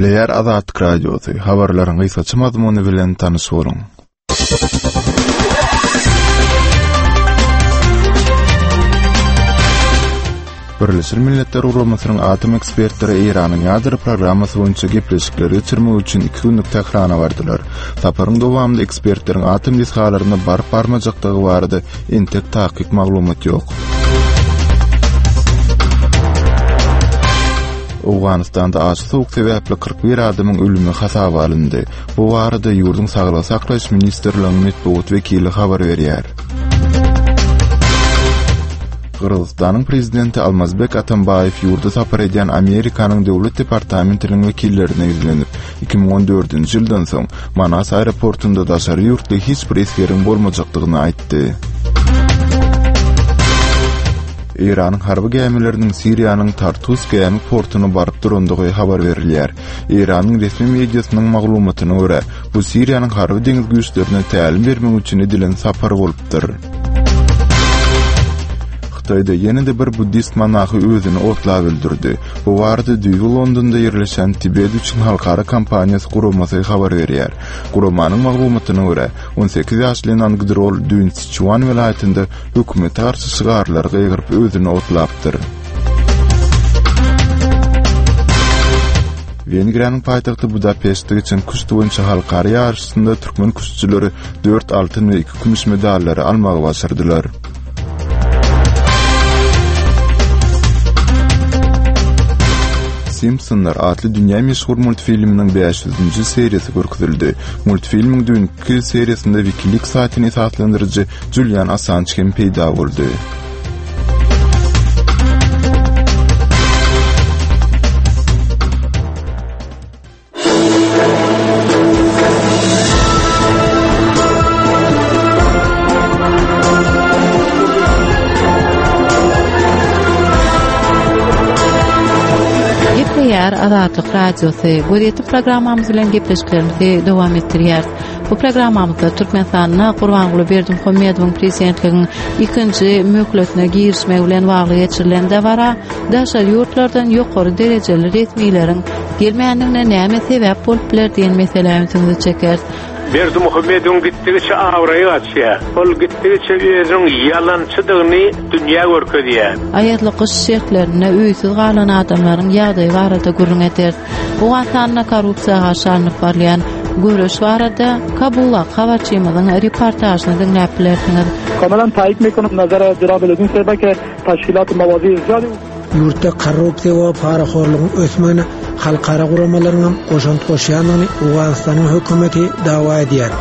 Gepleýär Azatlyk Radiosy, habarlaryň gysgaça mazmuny bilen tanyş boluň. Birleşen Milletler Guramasynyň atom ekspertleri Eýranyň ýadro programmasy boýunça gepleşikleri geçirmek üçin iki günlük Tährana bardylar. Saparyň dowamynda ekspertleriň atom desgalaryna baryp-barmajakdygy barada entek takyk maglumat ýok. Owganystanda aşa sowuk sebäpli 41 adamyň ölümi hasaba alyndy. Bu barada ýurduň Saglygy saklaýyş ministrliginiň metbugat wekili habar berýär. Gyrgyzystanyň prezidenti Almazbek Atambaýew ýurda sapar edýän Amerikanyň Döwlet departamentiniň wekillerine ýüzlenip, 2014-nji ýyldan soň Manas aeroportunda daşary ýurtly hiç bir esgeriň bolmajakdygyny aýtdy. Eýranyň harby gämileriniň Siriýanyň Tartus gämi portuna baryp durandygy habar berilýär. Eýranyň resmi mediasynyň maglumatyna görä, bu Siriýanyň harby deňiz güýçlerine tälim bermek üçin edilen sapar bolupdyr. Hytaýda ýene-de bir buddist monahy özüni otlap öldürdi. Bu barada düýbi Londonda ýerleşen Tibet üçin halkara kampaniýasy guramasy habar berýär. Guramanyň maglumatyna görä, 18 ýaşly Nangdrol düýn Siçuan welaýatynda hökümete garşy şygarlary gygyryp özüni otlapdyr. Wengriýanyň paýtagty Budapeştde geçen küşt boýunça halkara ýaryşynda türkmen küştçüleri 4 altyn we 2 kümüş medallary almagy başardylar. Simpsonlar atly dünýä meşhur multfilminiň 500-nji seriýasy görkezildi. Multfilmiň düýnki seriýasynda WikiLeaks saýtyny esaslandyryjy Julian Assanj hem peýda boldy. Gepleýär Azatlyk Radiosy. Gözýetim programmamyz bilen gepleşiklerimizi dowam etdirýäris. Bu programmamyzda Türkmenistanda Gurbanguly Berdimuhamedowyň prezidentligiň ikinji möhletine girişmegi bilen bagly geçirilen dabara daşary ýurtlardan ýokary derejeli resmileriň gelmändigine näme sebäp bolup biler diýen meselä ünsüňizi çekeris. Berdimuhamedowyň gitdigiçe abraýy gaçýar. Ol gitdigiçe özüniň ýalançydygyny dünýä görkezýär. Aýazly gyş şertlerinde öýsüz galan adamlaryň ýagdaýy barada gürrüň ederis. Owganystanda korrupsiýa garşy alnyp barylýan göreş barada Kabuldaky habarçymyzyň reportažyny diňläp bilersiňiz. کاملا تایید میکنم نظر جناب لدین صاحب که تشکیلات موازی زیادی Ýurtda korrupsiýa we parahorlugyň ösmegine halkara guramalaryňam goşant goşýandygyny Owganystanyň hökümeti dawa edýär.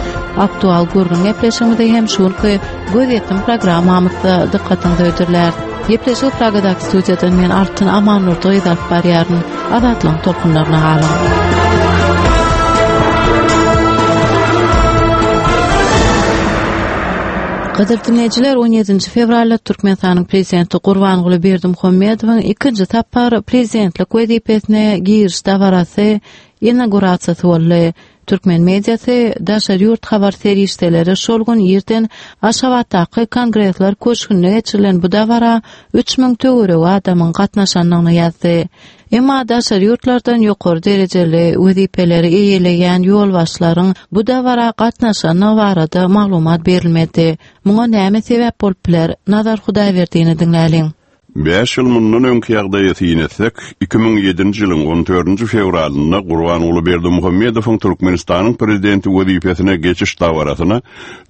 Aktual gürrüň gepleşigimizi hem şu günki Gözýetim programmamyzda dykgatyňyza hödürläris. Gepleşigi Pragadaky studiýadan men Altyn Amandurdy gyzy alyp barýaryn. Azatlygyň tolkunlaryna galyň. Gadyrly diňleýjiler, 17-nji fewralda Türkmenistanyň Prezidenti Gurbanguly Berdimuhamedowyň ikinji sapar prezidentlik wezipesine giriş dabarasy, inaugurasiýasy boldy. Türkmen mediasy, daşary ýurt habar serişdeleri şol gün irden Aşgabatdaky Kongresler köşgünde geçirilen bu dabara 3000 töweregi adamyň gatnaşandygyny ýazdy. Emma daşary ýurtlardan ýokary derejeli wezipeleri eýeleýän ýolbaşçylaryň bu dabara gatnaşandygy barada maglumat berilmedi. Muňa näme sebäp bolup biler? Nazar Hudaýberdini diňläliň. Bäş ýyl mundan öňki ýagdaýa syn etsek, 2007-nji ýylyň on dördünji fewralynda Gurbanguly Berdimuhamedowyň Türkmenistanyň Prezidenti wezipesine geçiş dabarasyna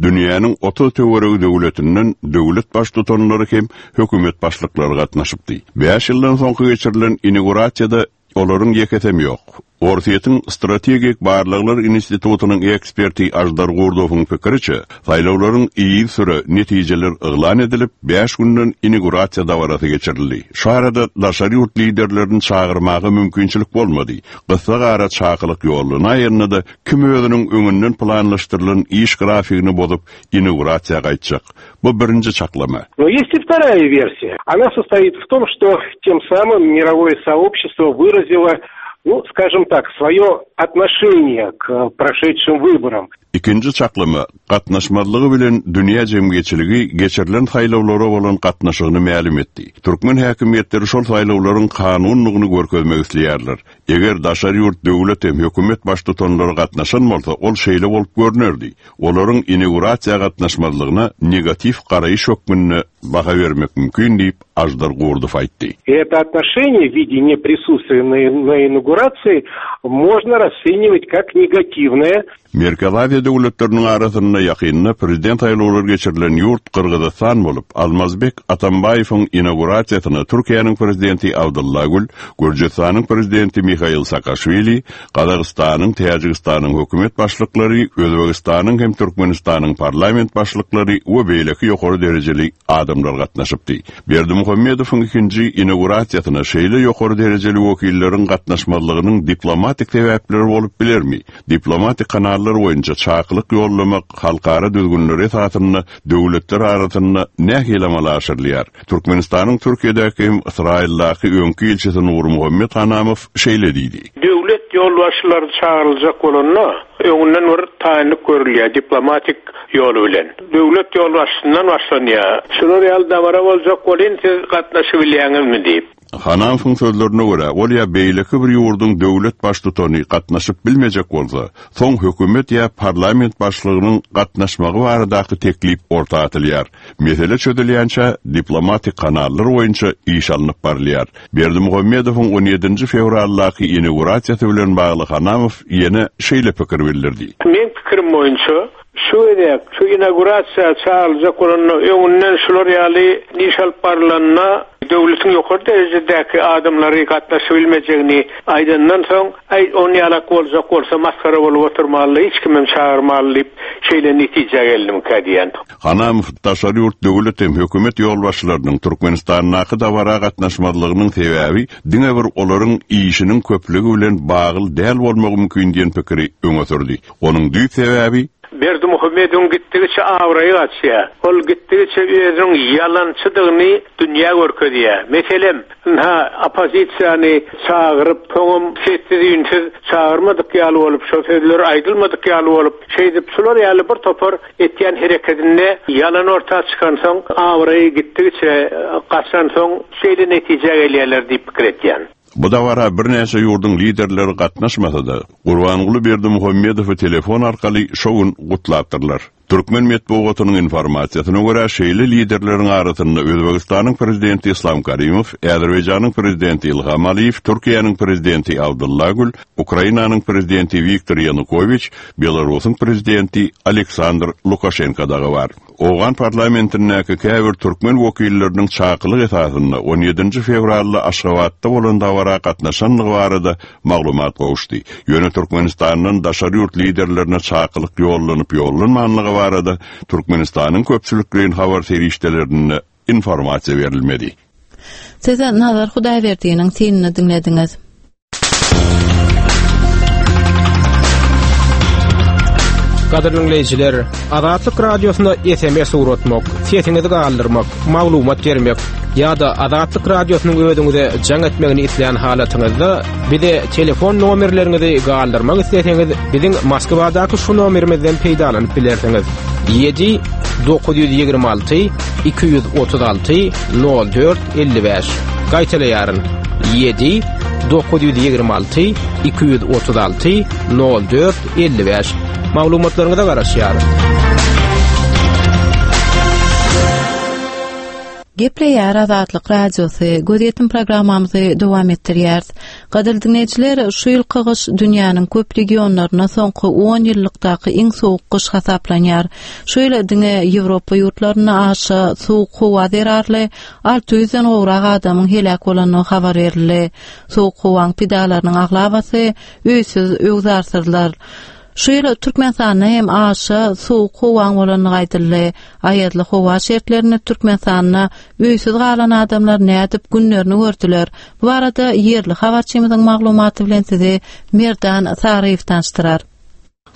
dünýäniň 30 töweregi döwletinden döwlet Baştutanlary hem hökümet başlyklary gatnaşypdy. Bäş ýyldan soňky geçirilen inaugurasiýada olaryň ýekesem ýok. Orsýetiň Strategik barlaglar institutynyň eksperti Aždar Gurdowyň pikiriçe, saýlawlaryň yzysüre netijeler yglan edilip, bäş günden inaugurasiýa dabarasy geçirildi. Şu arada daşary ýurt liderlerini çagyrmaga mümkinçilik bolmady. Gyssagara çakylyk ýollanaýanda-da, kim özüniň öňünden planlaşdyrylan iş grafigini bozup, inaugurasiýa gaýtjak? Bu birinji çaklama. Но есть и вторая версия. Она состоит в том, что тем самым мировое сообщество выразило. Ну, скажем так, свое отношение к прошедшим выборам. Ikinji çaklama, gatnaşmazlygy bilen dünýä jemgyýetçiligi geçirilen saýlawlara bolan gatnaşygyny mälim etdi. Türkmen häkimiýetleri şol saýlawlaryň kanunlygyny görkezmek isleýärler. Eger daşary ýurt döwlet hem hökümet baştutanlary gatnaşan bolsa, ol şeýle bolup görnerdi. Olaryň inaugurasiýa gatnaşmazlygyna negatiw garaýyş hökmünde baha bermek mümkin diýip, Aždar Gurdow aýtdy. Это отношение в виде неприсутствия на инаугурации можно расценивать как негативное. Merkezi Aziýa döwletleriniň arasynda ýakynda prezident saýlawlary geçirilen ýurt Gyrgyzystan bolup, Almazbek Atambaýewiň inaugurasiýasyna Türkiýäniň prezidenti Abdylla Gül, Gürjüstanyň prezidenti Mihail Saakaşwili, Gazagystanyň, Täjigistanyň hökümet başlyklary, Özbegistanyň hem Türkmenistanyň parlament başlyklary we beýleki ýokary derejeli adamlar gatnaşypdy. Berdimuhamedowyň ikinji inaugurasiýasyna şeýle ýokary derejeli wekilleriň gatnaşmazlygynyň diplomatik sebäpleri bolup bilermi? Diplomatik kanallar boýunça çakylyk ýollamak halkara düzgünleri esasynda döwletler arasynda nähili amala aşyrylýar? Türkmenistanyň Türkiýedäki hem Ysraýyldaky öňki ilçisi Nurmuhammet Hanamow şeýle diýdi. Döwlet ýolbaşçylary çagyryljak bolanda, öňünden bir taýynlyk görülýär, diplomatik ýoly bilen. Döwlet ýolbaşçysyndan başlanýar. Şular ýaly dabara boljak welin, siz gatnaşybilýäňizmi diýip. Hanamowyň sözlerine görä, ol ýa beýleki bir ýurduň döwlet baştutany gatnaşyp bilmejek bolsa, soň hökümet ýa parlament başlygynyň gatnaşmagy baradaky teklip orta atylýar. Mesele çözülýänçä, diplomatik kanallar boýunça iş alnyp barylýar. Berdimuhamedowyň on ýedinji fewraldaky inaugurasiýasy bilen bagly Hanamow ýene şeýle pikir bildirdi. Meň pikirim boýunça, şu gezek şu inaugurasiýa çagyryljak bolanda öňünden şular ýaly iş alyp barylanda döwletiň ýokary derejedäki adamlary gatnaşybilmejegini aýdandan soň, Aý, onýalak boljak bolsa masgara bolup oturmaly, hiç kimem çagyrmaly diýip, şeýle netijä geldimkä diýýän. Hanamow daşary ýurt döwlet hem hökümet ýolbaşçylarynyň Türkmenistandaky dabara gatnaşmazlygynyň sebäbi diňe bir olaryň işiniň köplügi bilen bagly däl bolmagy mümkin diýen pikiri öňe sürdi. Onuň düýp sebäbi, Berdimuhamedowyň gitdigiçe abraýy gaçýar. Ol gitdigiçe özüniň ýalançydygyny dünýä görkezýär. Meselem, ynha, oppozisiýany çagyryp, soňam sessiz-üýnsüz çagyrmadyk ýaly bolup, şo sözler aýdylmadyk ýaly bolup, şeýdip, şular ýaly bir topar etýän herekedinde ýalan orta çykansoň, abraýy gitdigiçe gaçansoň, şeýle netijä gelýärler diýip pikir etýän. Bu dabara birnäçe ýurduň liderleri gatnaşmasa-da, Gurbanguly Berdimuhamedowy telefon arkaly şo gün gutlapdyrlar. Türkmen metbugatynyň informasiýasyna görä, şeýle liderleriň arasynda Özbegistanyň prezidenti Yslam Karimow, Azerbaýjanyň prezidenti Ilham Aliýew, Türkiýäniň prezidenti Abdylla Gül, Ukrainanyň prezidenti Wiktor Ýanukowiç, Belarusyň prezidenti Aleksandr Lukaşenko dagy bar. Owgan parlamentindäki käbir türkmen wekilleriniň çakylyk esasynda on ýedinji fewralda Aşgabatda bolan dabara gatnaşandygy barada maglumat gowuşdy. Ýöne Türkmenistandan daşary ýurt liderlerine çakylyk ýollanyp-ýollanmanlygy barada Türkmenistanyň köpçülikleýin habar serişdelerinde informasiýa berilmedi. Siz Nazar Hudaýberdiniň synyny diňlediňiz. Gadyrly diňleýjiler, Azatlyk Radiosyna SMS ugratmak, sesiňizi galdyrmak, maglumat bermek ýa-da Azatlyk Radiosynyň özüňize jaň etmegini islän halatyňyzda bize telefon nomerleriňizi galdyrmak isleseňiz, biziň Moskwadaky şu nomerimizden peýdalanyp bilersiňiz. 7 926 236 04 55. Gaýtalaýaryn. 7 926 236 04 55. Maglumatlaryňyza garaşýarys. Gepleýär Azatlyk Radiosy, gözýetim programmamyzy dowam etdirýäris. Gadyrly diňleýjiler, şu ýylky gyş dünýäniň köp regionlarynda soňky on ýyllykdaky iň sowuk gyş hasaplanýar. Şu ýyl diňe Ýewropa ýurtlarynda aşa sowuk howa zerarly 600-den gowrak adamyň heläk bolandygy habar berildi. Sowuk howaň pidalarynyň aglabasy öýsüz-öwzarsyzlar. Şu ýyl Türkmenistanda hem aşa sowuk howaň bolandygy aýdyldy. Aýazly howa şertlerinde Türkmenistanda öýsüz galan adamlar nädip günlerini gördüler? Bu barada ýerli habarçymyzyň maglumaty bilen sizi Merdan Saryýew tanyşdyrar.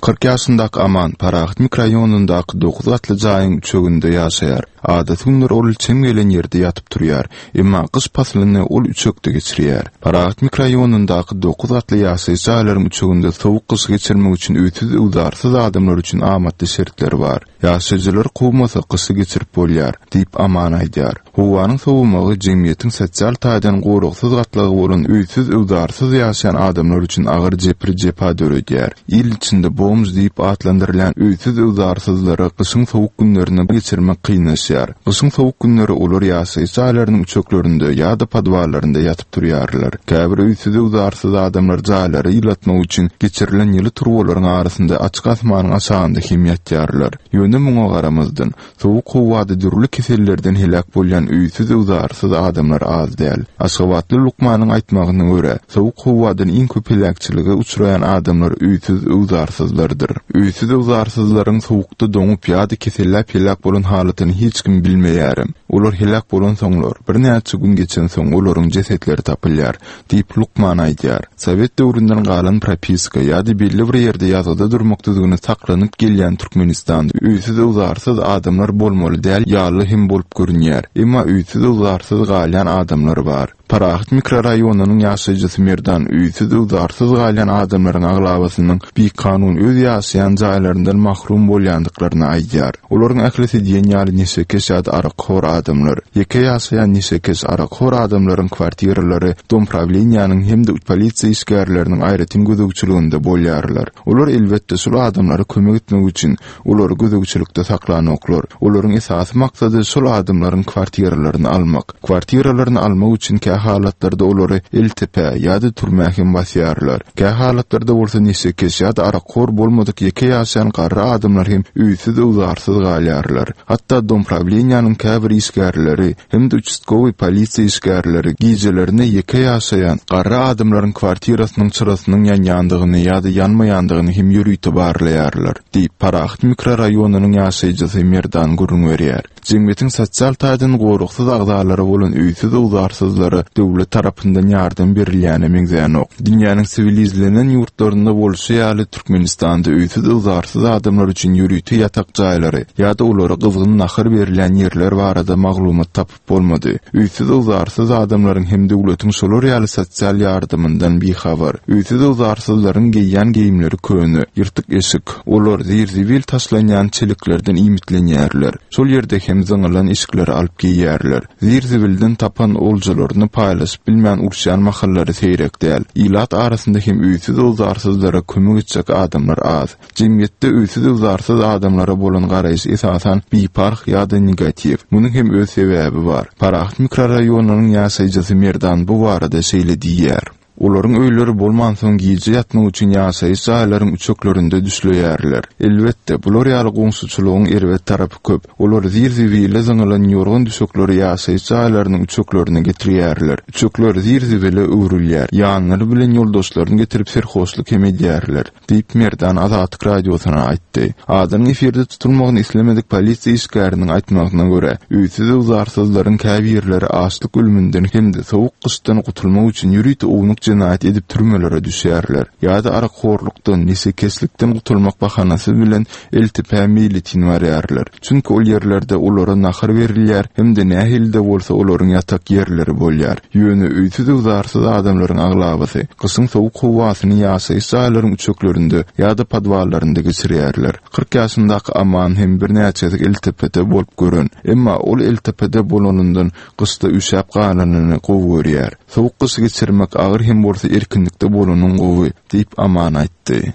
40 ýaşyndaky Aman Parahat mikroraýonyndaky dokuz gatly jaýyň üçeginde ýaşaýar. Adaty günler ol çem gelen ýerde ýatyp turýar. Emma gyş paslyny ol üçekde geçirýär. Parahat mikroraýonyndaky dokuz gatly ýaşaýyş jaýlaryň üçeginde sowuk gyşy geçirmek üçin öýsüz-öwzarsyz adamlar üçin amatly şertler bar. Ýaşaýjylary kowmasa gyşy geçirip bolýar, diýip Aman aýdýar. Howanyň sowamagy jemgyýetiň sosial taýdan goragsyz gatlagy bolan öýsüz-öwzarsyz ýaşaýan adamlar üçin agyr jebir-jepa döredýär. Il içinde bomž diýip atlandyrylýan öýsüz-öwzarsyzlara gyşyň sowuk günlerini geçirmek kynlaşýar. Gyşyň sowuk günleri olar ýaşaýyş jaýlarynyň üçeklerinde ýa-da podwallarynda ýatyp turýarlar. Käbir öýsüz-öwzarsyz adamlar jaýlary ýylatmak üçin geçirilen ýyly turbalaryň arasynda açyk asmanyň aşagynda hem ýatýarlar. Ýöne muňa garamazdan, sowuk howada dürli kesellerden heläk bolýan öýsüz-öwzarsyz adamlar az däl. Aşgabatly lukmanyň aýtmagyna görä, sowuk howadan iň köp heläkçilige uçraýan adamlar öýsüz-öwzarsyzlardyr. Öýsüz-öwzarsyzlaryň sowukda doňup ýa-da keselläp heläk bolan halatyny hiç kim bilmeýärem. Olar heläk bolansoňlar, birnäçe gün geçensoň olaryň jesetleri tapylýar, diýip, lukman aýdýar. Sowet döwründen galan propiska ýa-da belli bir ýerde ýazgyda durmak düzgüni saklanyp gelýän Türkmenistanda öýsüz-öwzarsyz adamlar bolmaly däl ýaly hem bolup görünýär. Emma öýsüz-öwzarsyz galýan adamlar bar. Parahat mikroraýonynyň ýaşaýjysy Merdan öýsüz-öwzarsyz galýan adamlaryň aglabasynyň bikanun öz ýaşaýan jaýlaryndan mahrum bolýandyklaryny aýdýar. Olaryň ählisi diýen ýaly neşekeş ýa-da arakhor adamlar. Ýeke ýaşaýan neşekeş, arakhor adamlaryň kwartiralary domprawleniýäniň hem-de polisiýa işgärleriniň aýratyn gözegçiliginde bolýarlar. Olar, elbetde, şol adamlara kömek etmek üçin olary gözegçilikde saklanoklar. Olaryň esasy maksady şol adamlaryň kwartiralaryny almak. Kwartiralaryny almak üçin kä halatlarda olary eltepä ýa-da türmä hem basýarlar. Kä halatlarda bolsa neşekeş ýa-da arakhor bolmadyk ýeke ýaşaýan garry adamlar hem öýsüz-öwzarsyz galýarlar. Hatda domprawleniýäniň käbir işgärleri hem-de uçastkowyý polisiýa işgärleri gijelerine ýeke ýaşaýan garry adamlaryň kwartirasynyň çyrasynyň ýanýandygyny ýa-da ýanmaýandygyny hem ýörite barlaýarlar, diýip, Parahat mikroraýonynyň ýaşaýjysy Merdan gürrüň berýär. Jemgyýetiň sosial taýdan goragsyz agzalary bolan öýsüz-öwzarsyzlara döwlet tarapyndan ýardam berilýäne meňzänok. Dünýäniň siwilizlenen ýurtlarynda bolşy ýaly, Türkmenistanda öýsüz-öwzarsyz adamlar üçin ýörite ýatak jaýlary ýa-da olara gyzgyn nahar berilýän ýerler barada maglumat tapyp bolmady. Öýsüz-öwzarsyz adamlaryň hem döwletiň şolar ýaly sosial ýardamyndan bihabar. Öýsüz-öwzarsyzlaryň geýýän geýimleri köne, ýyrtyk eşik. Olar zir-zibil taşlanýan çeleklerden iýmitlenýärler. Şol ýerde hem zyňylan eşikleri alyp geýýärler. Zir-zibilden tapan oljalaryny paýlaşyp bilmän uruşýan mahallary seýrek däl. Ilat arasynda hem öýsüz-öwzarsyzlara kömek etjek adamlar az. Jemgyýetde öýsüz-öwzarsyz adamlara bolan garaýyş esasan biparh ýa-da negatiw. Munuň hem öz sebäbi bar. Parahat mikroraýonynyň ýaşaýjysy Merdan bu barada şeýle diýýär. Olaryň öýleri bolmansoň gije ýatmak üçin ýaşaýyş jaýlaryň üçeklerinde düşleýärler. Elbetde, bular ýaly goňşuçylygyň erbet tarapy köp. Olar zir-zibile zyňylan ýorgan-düşekleri ýaşaýyş jaýlarynyň üçeklerine getirýärler. Üçekler zir-zibile öwrülýär. Ýanlary bilen ýoldaşlaryny getirip serhoşlyk hem edýärler. Diýip, Merdan Azatlyk Radiosyna aýtdy. Adynyň efirde tutulmagyny islemedik polisiýa işgäriniň aýtmagyna görä, öýsüz-öwzarsyzlaryň käbirleri açlyk ölüminden hem-de sowuk gyşdan gutulmak üçin ýörite ownuk jenaýat edip türmelere düşýärler. Ýa-da arakhorlukdan, neşekeşlikden gutulmak bahanasy bilen LTP-ä meýletin barýarlar. Çünki ol ýerlerde olara nahar berilýär hem-de nähili-de bolsa olaryň ýatak ýerleri bolýar. Ýöne öýsüz-öwzarsyz adamlaryň aglabasy gyşyň sowuk howasyny ýaşaýyş jaýlaryň üçeklerinde ýa-da podwallarynda geçirýärler. 40 ýaşyndaky Aman hem birnäçe gezek LTP-de bolup gören. Emma ol LTP-de bolanyndan gyşda üşäp galanyny gowy görýär. Sowuk gyşy geçirmek agyr hem bolsa erkinlikde bolanyň gowy, diýip Aman aýtdy.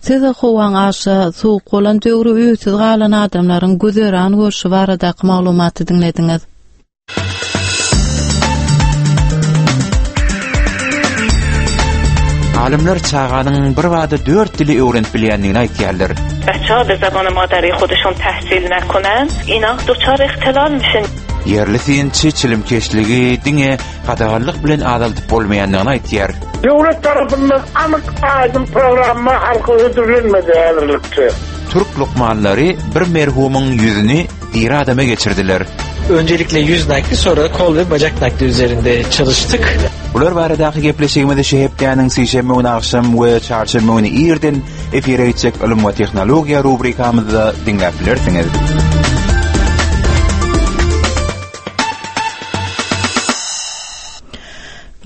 Siz howaň aşa sowuk bolan döwri öýsüz galan adamlaryň güzeran görşi baradaky maglumaty diňlediňiz. Alymlar çaganyň birbada dört dili öwrenip bilýändigini aýtýarlar. Beçe be zabany madary hoduşon tahsil nakonan, ina duçar ihtilal mişin. Ýerli synçy çilimkeşligi diňe gadaganlyk bilen azaldyp bolmaýandygyny aýdýar. Döwlet tarapyndan anyk aýdyň programma halka hödürlenmedi häzirlikçe. Türk lukmanlary bir merhumyň ýüzüni diri adama geçirdiler. Öncelikle yüz nakli sonra kol ve bacak nakli üzerinde çalıştık. Bular baradaky gepleşigimizi şu hepdäniň sişenbe güni agşam we çarşenbe güni irden efire gitjek Ylym we tehnologiýa rubrikamyzda diňläp bilersiňiz.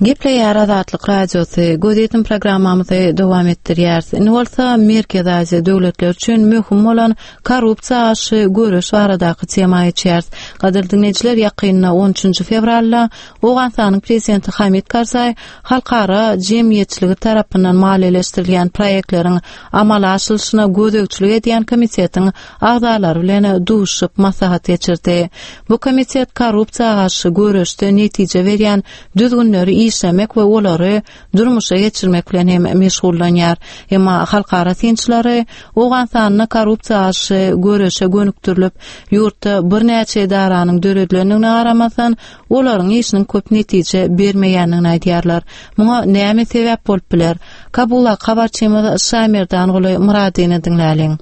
Gepleýär Azatlyk Radiosy, Gözýetim programmamyzy dowam etdirýäris. Indi bolsa Merkezi Aziýa döwletleri üçin möhüm bolan korrupsiýa garşy göreş baradaky tema geçýäris. Gadyrly diňleýjiler, ýakynda 13 fewralda Owganystanyň prezidenti Hamid Karzaý halkara jemgyýetçiligi tarapyndan maliýeleşdirilýän proýektleriň amala aşyrylyşyna gözegçilik edýän komitetiň agzalary bilen duşuşyp maslahat geçirdi. Bu komitet korrupsiýa garşy göreşde netije berýän düzgünleri işlemek we olary durmuşa geçirmek bilen hem meşgullanýar. Emma halkara synçylary Owganystanda korrupsiýa garşy göreşe gönükdirilip, ýurtda birnäçe edaranyň döredilendigine garamazdan, olaryň işiniň köp netije bermeýändigini aýdýarlar. Muňa näme sebäp bolup biler? Kabuldaky habarçymyz Şaýmerdanguly Myradyny diňläliň.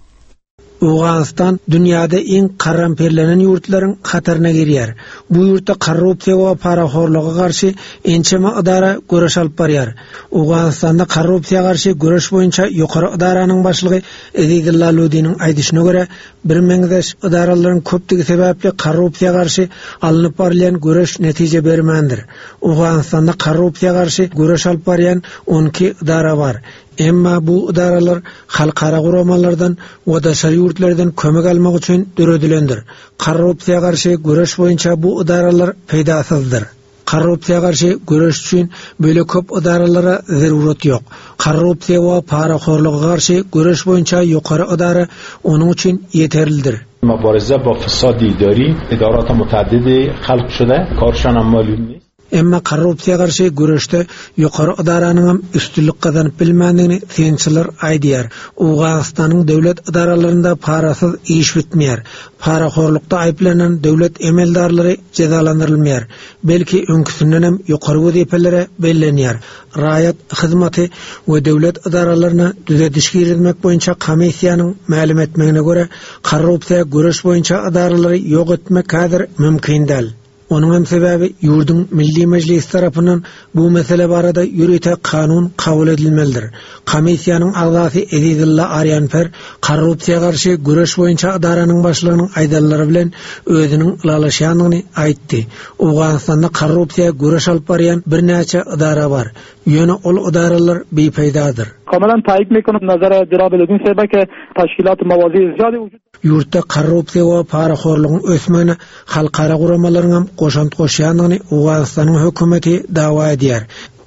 Owganystan dünýäde iň karramperlenen ýurtlaryň hataryna girýär. Bu ýurtda korrupsiýa we parahorluga garşy ençeme ydara göreş alyp barýar. Owganystanda korrupsiýa garşy göreş boýunça ýokary ydaranyň başlygy Ezizulla Ludiniň aýdyşyna görä, birmeňzeş ydaralaryň köpdügi sebäpli korrupsiýa garşy alnyp barylýan göreş netije bermändir. Owganystanda korrupsiýa garşy göreş alyp barýan 12 ydara bar. Emma bu ydaralar halkara guramalardan we daşary ýurtlardan kömek almak üçin döredilendir. Korrupsiýa garşy göreş boýunça bu ydaralar peýdasyzdyr. Korrupsiýa garşy göreş üçin beýle köp ydaralara zerurat ýok. Korrupsiýa we parahorluga garşy göreş boýunça ýokary ydara onuň üçin ýeterlidir. مبارزه با فساد اداری ادارات متعدد خلق شده کارشان هم معلوم نیست Emma korrupsiýa garşy göreşde ýokary ydaranyňam üstünlik gazanyp bilmändigini synçylar aýdýar. Owganystanyň döwlet edaralarynda parasyz iş bitmeýär. Parahorlukda aýyplanan döwlet emeldarlary jezalandyrylmaýar. Belki öňküsindenem ýokary wezipelere bellenýär. Raýat hyzmaty we döwlet edaralaryna düzediş girizmek boýunça komissiýanyň mälim etmegine görä, korrupsiýa göreş boýunça edaralary ýok etmek häzir mümkin däl. Onuň hem sebäbi ýurduň Milli Mejlisi tarapyndan bu mesele barada ýörite kanun kabul edilmelidir. Komissiýanyň agzasy Ezizulla Arýanper korrupsiýa garşy göreş boýunça ydaranyň başlygynyň aýdanlary bilen özüniň ylalaşýandygyny aýtdy. Owganystanda korrupsiýa göreş alyp barýan birnäçe ydara bar. Ýöne ol ydaralar bipeýdadyr. کاملا تایید میکنم نظر جناب لودین صاحب که تشکیلات موازی زیادی وجود Ýurtda korrupsiýa we parahorlugyň ösmegine halkara guramalaryňam goşant goşýandygyny Owganystanyň hökümeti dawa edýär.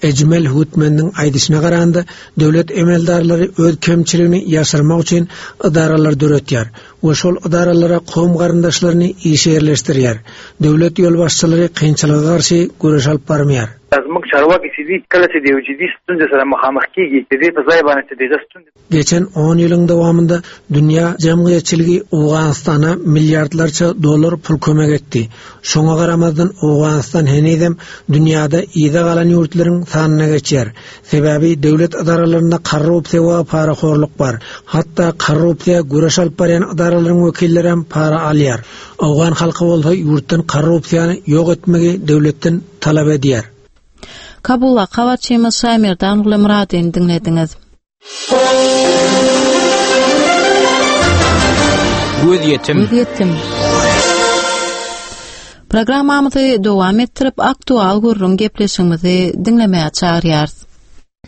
Ejmel Hutmendiň aýdyşyna garanda, döwlet emeldarlary öz kemçiligini ýaşyrmak üçin edaralar döretýär we şol edaralara kowum-garyndaşlaryny işe ýerleşdirýär. Döwlet ýolbaşçylary kynçylyga garşy göreş alyp barmaýar. زموږ چارواکي چې دي کله چې د یو جدي ستونزې سره مخامخ کیږي د دې په ځای باندې چې دغه ستونزې Geçen on ýylyň dowamynda dünýä jemgyýetçiligi Owganystana milliardlarça dollar pul kömek etdi. Şoňa garamazdan Owganystan henizem dünýäde yza galan ýurtlaryň sanyna geçýär. Sebäbi döwlet edaralarynda korrupsiýa we parahorluk bar. Hatda korrupsiýa göreş alyp barýan edaralaryň wekillerem para alýar. Owgan halky bolsa ýurtdan korrupsiýany ýok etmegi döwletden talap edýär. Kabuldaky habarçymyz Şaýmerdan Gulymyradyny diňlediňiz. Gözýetim. Gözýetim. Programmamyzy dowam etdirip, aktual gürrüň gepleşigimizi diňlemäge çagyrýarys.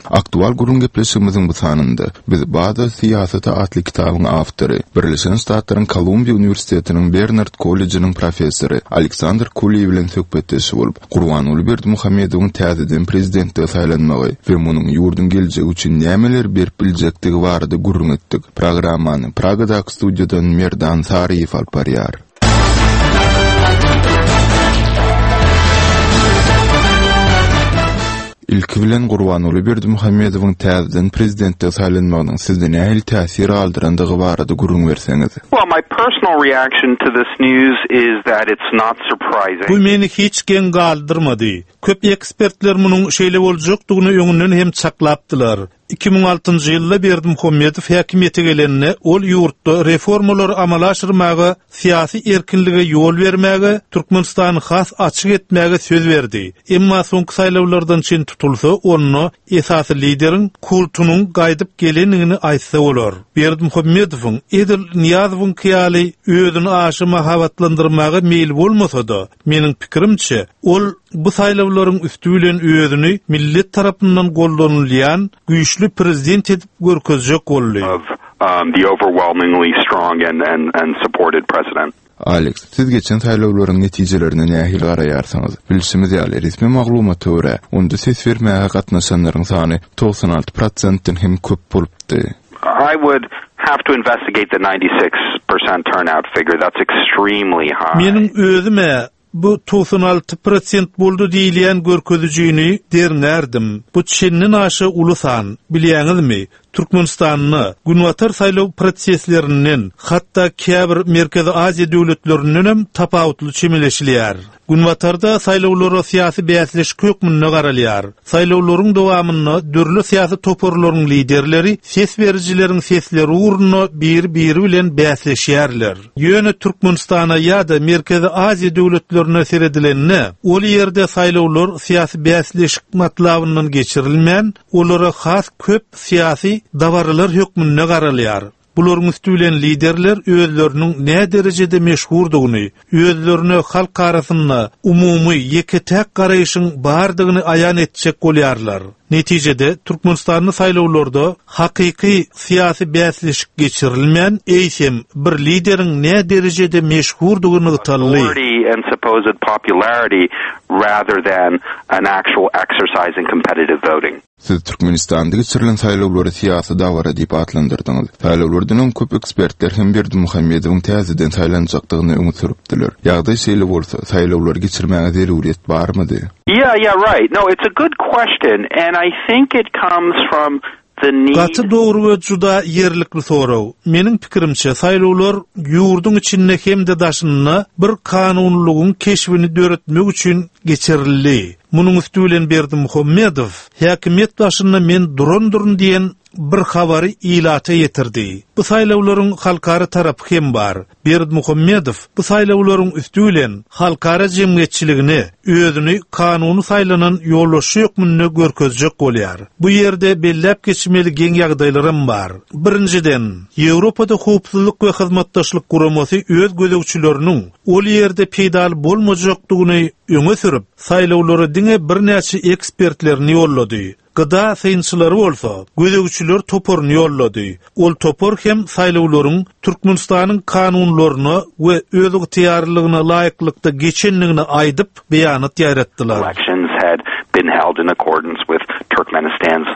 Aktual gürrüň gepleşigimiziň bu sanynda biz Bazar syýasaty atly kitabyň awtory, Birleşen Ştatlaryň Kolumbiýa uniwersitetiniň Bernard kollejiniň professory Aleksandr Kuliý bilen söhbetdeş bolup, Gurbanguly Berdimuhamedowyň täzeden prezidentlige saýlanmagy we munuň ýurduň geljegi üçin nämeleri berip biljekdigi barada gürrüň etdik. Programmany Pragadaky studiýadan Merdan Saryýew alyp barýar. Ilki bilen Gurbanguly Berdimuhamedowyň täzeden prezidentlige saýlanmagynyň sizde nähili täsir galdyrandygy barada gürrüň berseňiz. Well, my personal reaction to this news is that it's not surprising. Bu meni hiç geň galdyrmady. Köp ekspertler munuň şeýle boljakdygyny öňünden hem çaklapdylar. 2006-njy ýylda Berdimuhamedow häkimiýete gelende, ol ýurtda reformalary amala aşyrmaga, syýasy erkinlige ýol bermäge, Türkmenistany has açyk etmäge söz berdi. Emma soňky saýlawlardan çen tutulsa, onda esasy lideriň kultunyň gaýdyp gelendigini aýtsa bolar. Berdimuhamedowyň edil Nyýazowyňky ýaly özüni aşa mahabatlandyrmaga meýli bolmasa-da, Meniň pikirimçe, ol bu saýlawlaryň üsti bilen özüni millet tarapyndan goldanylýan güýçli prezident edip görkezjek boldy. Aleks, siz geçen saýlawlaryň netijelerine nähili garaýarsyňyz? Bilşimiz ýaly, resmi maglumata görä, onda ses bermäge gatnaşanlaryň sany 96 prosentden hem köp bolupdy. I would have to investigate the 96% turnout figure. That's extremely high. Meniň özüm-ä bu 96 prosent boldy diýilýän görkezijini derňärdim. Bu çenden aşa uly san. Bilýäňizmi, Türkmenistanda Günbatar saýlaw proseslerinden, hatda käbir Merkezi Aziýa döwletlerindenem tapawutly çemeleşilýär. Günbatarda saýlawlara syýasy bäsleşik hökmünde garalýar. Saýlawlaryň dowamynda dürli syýasy toparlaryň liderleri ses berijileriň sesleri ugrunda biri-biri bilen bäsleşýärler. Ýöne Türkmenistana ýa-da Merkezi Aziýa döwletlerine seredilende, ol ýerde saýlawlar syýasy bäsleşik matlabyndan geçirilmän, olara has köp syýasy dabaralar hökmünde garalýar. Bularyň üsti bilen liderler özleriniň näderejede meşhurdygyny, özlerine halk arasynda umumy, ýeke-täk garaýşyň bardygyny aýan etjek bolýarlar. Netijede, Türkmenistanda saýlawlarda hakyky syýasy bäsleşik geçirilmän, eýsem, bir lideriň näderejede meşhurdygy nygtaldy. Siz Türkmenistanda geçirilen saýlawlary syýasy dabara diýip atlandyrdyňyz. Saýlawlardan öň köp ekspertler hem Berdimuhamedowyň täzeden saýlanjakdygyny öňe sürüpdiler. Ýagdaý şeýle bolsa, saýlawlary geçirmäge zeruryýet barmydy? Yeah, yeah, right. No, it's a good question and I think it comes from the need. Gaty dogry we juda ýerlikli sorag. Meniň pikirimçe, saýlawlar ýurduň içinde hem-de daşynda bir kanunylygyň keşbini döretmek üçin geçirildi. Munuň üsti bilen Berdimuhamedow häkimiýet başynda men durandyryn diýen bir habary ilata ýetirdi. Bu saýlawlaryň halkara tarapy hem bar. Berdimuhamedow bu saýlawlaryň üsti bilen halkara jemgyýetçiligine özüni kanuny saýlanan ýolbaşçy hökmünde görkezjek bolýar. Bu ýerde belläp geçmeli geň ýagdaýlaram bar. Birinjiden, Ýewropada Howpsuzlyk we Hyzmatdaşlyk Guramasy öz gözegçileriniň ol ýerde peýdaly bolmajakdygyny öňe sürüp, saýlawlara diňe birnäçe ekspertlerini ýollady. GDA synçylary bolsa, gözegçiler toparyny ýollady. Ol topar hem saýlawlaryň Türkmenistanyň kanunlaryna we özygtyýarlylygyna laýyklykda geçendigini aýdyp, beýanat ýaýratdylar. Elections had been held in accordance with Turkmenistan's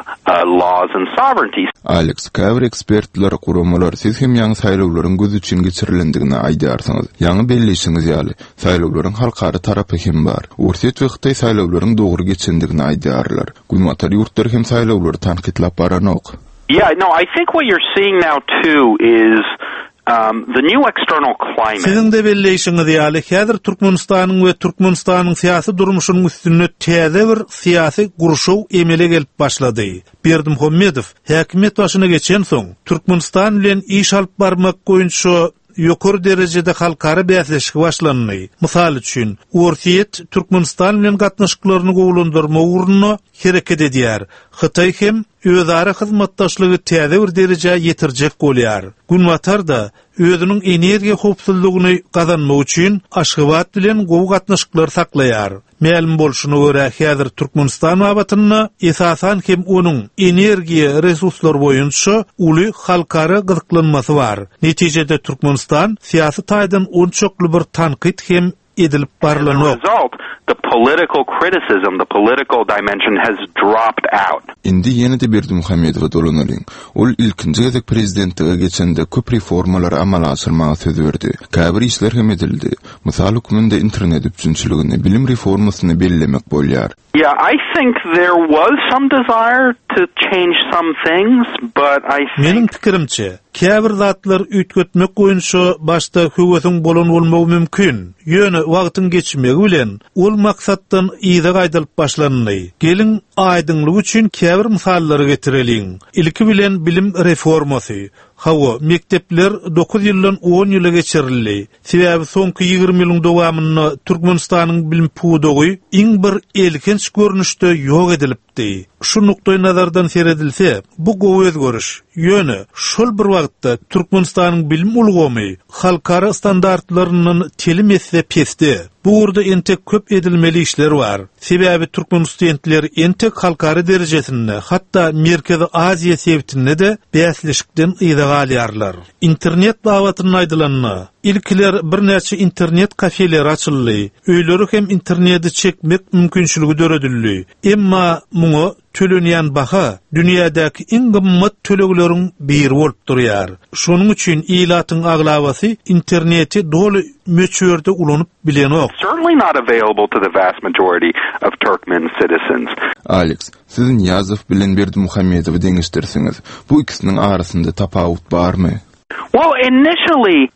laws and sovereignty. Aleks, käbir ekspertler, guramalar siz hem ýaňy saýlawlaryň göz üçin geçirilendigini aýdýarsyňyz. Ýaňy belleýşiňiz ýaly, Saýlawlaryň halkara tarapy hem bar. Orsýet we Hytaý saýlawlaryň dogry geçendigini aýdýarlar. Günbatar ýurtlary hem saýlawlary tankytlap baranok. Yeah, no, I think what you're seeing now too is the new external climate. Siziň-de belleýşiňiz ýaly, häzir Türkmenistanyň we Türkmenistanyň syýasy durmuşynyň üstünde täze bir syýasy gurşaw emele gelip başlady. Berdimuhamedow häkimiýet başyna geçensoň, Türkmenistan bilen iş alyp barmak boýunça Ýokary derejede halkara bäsleşigi başlandy. Mysal üçin, Orsýet Türkmenistan bilen gatnaşyklaryny gowulandyrmak ugrunda hereket edýär. Hytaý hem özara hyzmatdaşlygy täze bir derejä ýetirjek bolýar. Günbatar-da özüniň energiýa howpsuzlygyny gazanmak üçin Aşgabat bilen gowy gatnaşyklary saklaýar. Mälim bolşuna görä, häzir Türkmenistan babatynda, esasan hem onuň energiýa resurslary boýunça uly halkara gyzyklanmasy bar. Netijede Türkmenistan syýasy taýdan onçakly bir tankyt hem edilip barlanok. Indi ýene-de Berdimuhamedowa dolanalyň. Ol ilkinji gezek prezidentlige geçende köp reformalary amala aşyrmaga söz berdi. Käbir işler hem edildi. Mysal hökmünde internet üpjünçiligini, bilim reformasyny bellemek bolýar. Yeah, I think there was some desire to change some things, but I think. Meniň pikirimçe, Käbir zatlar üýtgetmek boýunça başda höwesiň bolan bolmagy mümkin, ýöne wagtyň geçmegi bilen ol maksatdan yza gaýdylyp başlandy. Geliň, aýdyňlyk üçin käbir mysallary getireliň. Ilki bilen bilim reformasy. Hawa, mekdepler dokuz ýyldan on ýyla geçirildi. Sebäbi soňky 20 ýylyň dowamynda Türkmenistanyň bilim pudagy iň bir elhenç görnüşde ýok edilipdi. Şu nukdaýnazardan seredilse, bu gowy özgeriş. Ýöne, şol bir wagtda Türkmenistanyň bilim ulgamy halkara standartlaryndan telim esse pesde. Bu ugurda entek köp edilmeli işler bar. Sebäbi türkmen studentleri entek halkara derejesinde, hatda Merkezi Aziýa sebitinde-de bäsleşikden yza galýarlar. Internet babatynda aýdylanda, ilkiler birnäçe internet kafeleri açyldy, öýlere hem interneti çekmek mümkinçiligi döredildi. Emma muňa tölenýän baha dünýädäki iň gymmat tölegleriň biri bolup durýar. Şonuň üçin ilatyň aglabasy interneti doly möçberde ulanyp bilenok. Certainly not available to the vast majority of Turkmen citizens. Alex, siz Nyýazow bilen Berdimuhamedowy deňeşdirsiňiz, bu ikisiniň arasynda tapawut barmy? Well, initially,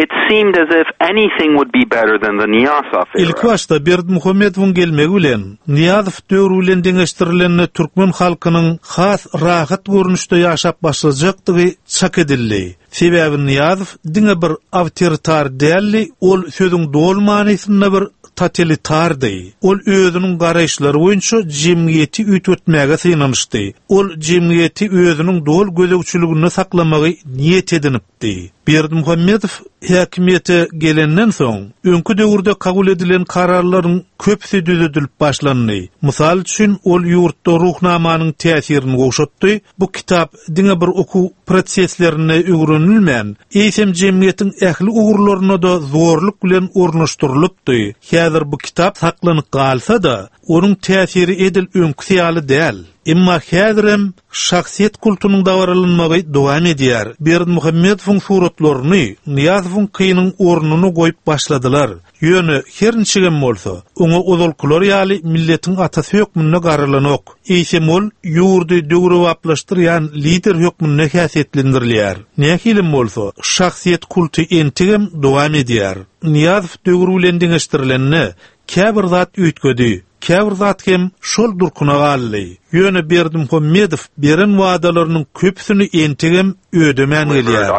it seemed as if anything would be better than the Nyýazow era. Ilkibaşda Berdimuhamedowyň gelmegi bilen, Nyýazow döwri bilen deňeşdirilende türkmen halkynyň has rahat görnüşde ýaşap başlajakdygy çak edildi. Sebäbi Nyýazow diňe bir awtoritar däldi, ol sözüň doly manysynda bir totalitardy. Ol özüniň garaýyşlary boýunça jemgyýeti üýtgetmäge synanyşdy. Ol jemgyýeti özüniň doly gözegçiliginde saklamagy niýet edinipdi. Berdimuhamedow häkimiýete gelenden soň, öňki döwürde kabul edilen kararlaryň köpüsi düzedilip başlandy. Mysal üçin, ol ýurtda Ruhnamanyň täsirini gowşatdy, bu kitap diňe bir okuw proseslerinde öwrenilmän, eýsem jemgyýetiň ähli ugurlaryna-da zorluk bilen ornaşdyrylypdy. Häzir bu kitap saklanyp galsa-da, onuň täsiri edil öňküsi ýaly däl. Emma häzirem şahsyýet kultunyň dabaralanmagy dowam edýär. Berdimuhamedowyň suratlaryny Nyýazowyňkynyň ornuna goýup başladylar. Ýöne, her niçigem bolsa, oňa ozalkylar ýaly milletiň atasy hökmünde garalanok. Eýsem ol ýurdy döwrebaplaşdyrýan lider hökmünde häsiýetlendirilýär. Nähilem bolsa, şahsyýet kulty entegem dowam edýär. Nyýazow döwri bilen deňeşdirilende, käbir zat üýtgedi. Käbir zat hem şol durkuna galdy. Ýöne Berdimuhamedow beren wadalarynyň köpüsini entegem ödemän gelýär.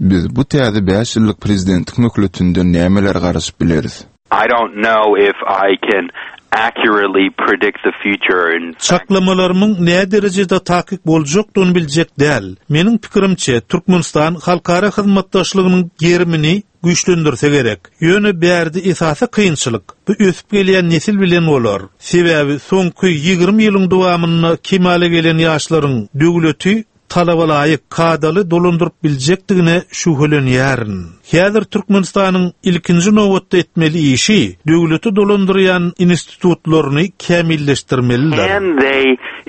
Biz bu täze bäş ýyllyk prezidentlik möhletinden nämelere garaşyp bileris? I don't know if I can accurately predict the future in. Çaklamalarymyň näderejede takyk boljakdygyny biljek däl. Meniň pikirimçe, Türkmenistan halkara hyzmatdaşlygynyň gerimini güýçlendirse gerek. Ýöne bärde esasy kynçylyk, bu ösüp gelýän nesil bilen bolar. Sebäbi soňky 20 ýylyň dowamynda kemala gelen ýaşlaryň döwleti talabalaýyk, kadaly dolandyryp biljekdigine şübhelenýärin. Häzir Türkmenistanyň ilkinji nobatda etmeli işi döwleti dolandyrýan institutlaryny kämilleşdirmelidir. Can they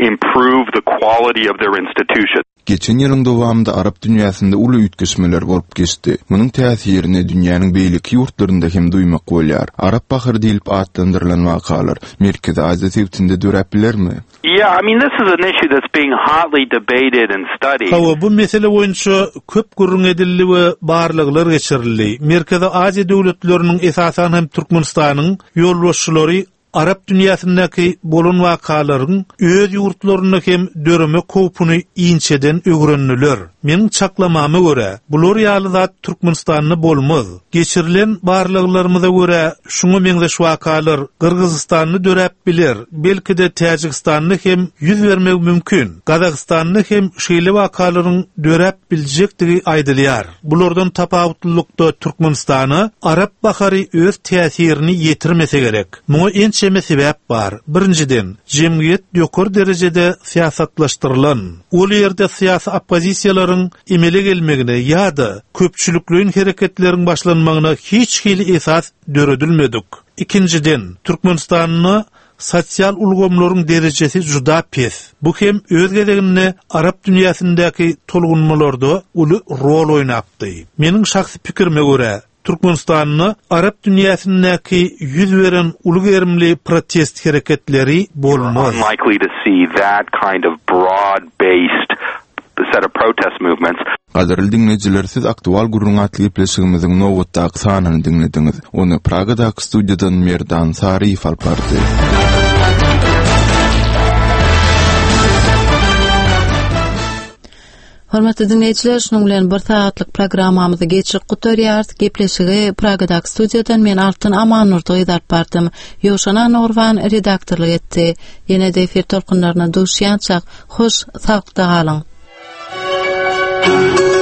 improve the quality of their institutions? Geçen ýylyň dowamynda arap dünýäsinde uly üýtgeşmeler bolup geçdi. Munuň täsirini dünýäniň beýleki ýurtlarynda hem duýmak bolýar. Arap bahary diýlip atlandyrylan wakalar Merkezi Aziýa sebitinde döräp bilermi? Yeah, I mean this is an issue that's being hotly debated and studied. Hawa, bu mesele boýunça köp gürrüň edildi we barlaglar geçirildi. Merkezi Aziýa döwletleriniň, esasan hem Türkmenistanyň ýolbaşçylary Arap dünýäsindäki bolan wakalaryň öz ýurtlarynda hem döremek howpuny inçeden öwrendiler. Meniň çaklamama görä, bular ýaly zat Türkmenistanda bolmaz. Geçirilen barlaglarymyza görä, şuňa meňzeş wakalar Gyrgyzystanda döräp biler, belki-de Täjigistanda hem ýüz bermegi mümkin. Gazagystanda hem şeýle wakalaryň döräp biljekdigi aýdylýar. Bulardan tapawutlylykda Türkmenistana Arap bahary öz täsirini ýetirmese gerek. Muňa ençeme sebäp bar. Birinjiden, jemgyýet ýokary derejede syýasatlaşdyrylan. Ol ýerde syýasy oppozisiýalaryň emele gelmegine ýa-da köpçülikleýin hereketleriň başlanmagyna hiç hili esas döredilmedik. Ikinjiden, Türkmenistanda sosial ulgamlaryň derejesi juda pes. Bu hem öz gezeginde arap dünýäsindäki tolgunmalarda uly rol oýnapdy. Meniň şahsy pikirime görä, Türkmenistanda arap dünýäsindäki 100 beren uly gerimli protest hereketleri bolmaz. Unlikely to see that kind of broad-based set of protest movements. Gadyrly diňleýjiler, siz Aktual gürrüň atly gepleşigimiziň nobatdaky sanyny diňlediňiz. Ony Pragadaky studiýadan Merdan Saryýew alyp bardy. Hormatly diňleýjiler, şunuň bilen bir sagatlyk programmamyzy geçirip gutarýarys. Gepleşigi Pragadaky studiýadan men Altyn Amannurdy gyz alyp bardym. Ýowşan Annagurban redaktorlyk etdi. Ýene-de efir tolkunlaryna duşýançak, hoş, saglykda galyň.